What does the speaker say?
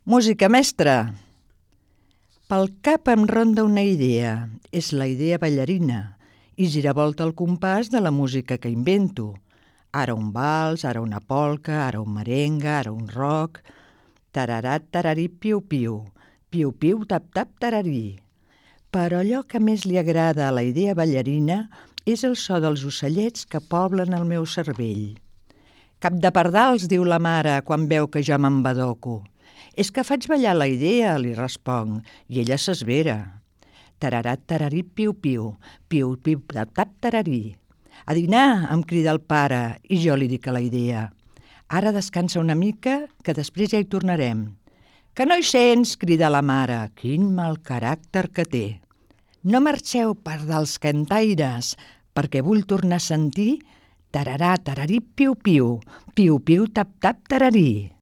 Música, mestre! Pel cap em ronda una idea. És la idea ballarina i giravolta el compàs de la música que invento. Ara un vals, ara una polca, ara un merengue, ara un rock. Tararat, tararí, piu-piu. Piu-piu, tap-tap, tararí. Però allò que més li agrada a la idea ballarina és el so dels ocellets que poblen el meu cervell. Cap de pardals, diu la mare quan veu que jo m'embadoco. És que faig ballar la idea, li responc, i ella s'esvera. Tararat, tararí, piu-piu, piu-piu, tap-tap, tararí. A dinar, em crida el pare, i jo li dic a la idea. Ara descansa una mica, que després ja hi tornarem. Que no hi sents, crida la mare, quin mal caràcter que té. No marxeu, pardals cantaires, perquè vull tornar a sentir tararà, tararí, piu-piu, piu-piu, tap-tap, tararí.